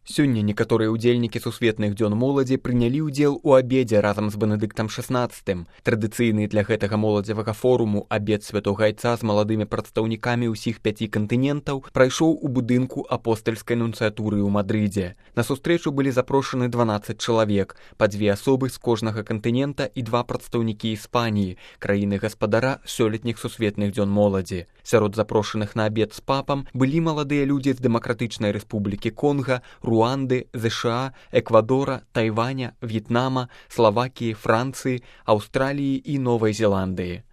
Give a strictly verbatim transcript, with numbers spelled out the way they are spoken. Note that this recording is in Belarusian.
Сёння некаторыя ўдзельнікі сусветных дзён моладзі прынялі ўдзел у абедзе разам з Бенедыктам шаснаццатым. Традыцыйны для гэтага моладзевага форуму абед святога айца з маладымі прадстаўнікамі ўсіх пяці кантынентаў прайшоў у будынку апостальскай нунцыятуры ў Мадрыдзе. На сустрэчу былі запрошаны дванаццаць чалавек, па дзве асобы з кожнага кантынента і два прадстаўнікі Іспаніі, краіны-гаспадара сёлетніх сусветных дзён моладзі. Сярод запрошаных на абед з папам былі маладыя людзі з Дэмакратычнай рэспублікі Конга, Руанды, ЗША, Эквадора, Тайваня, В'етнама, Славакіі, Францыі, Аўстраліі і Новай Зеландыі.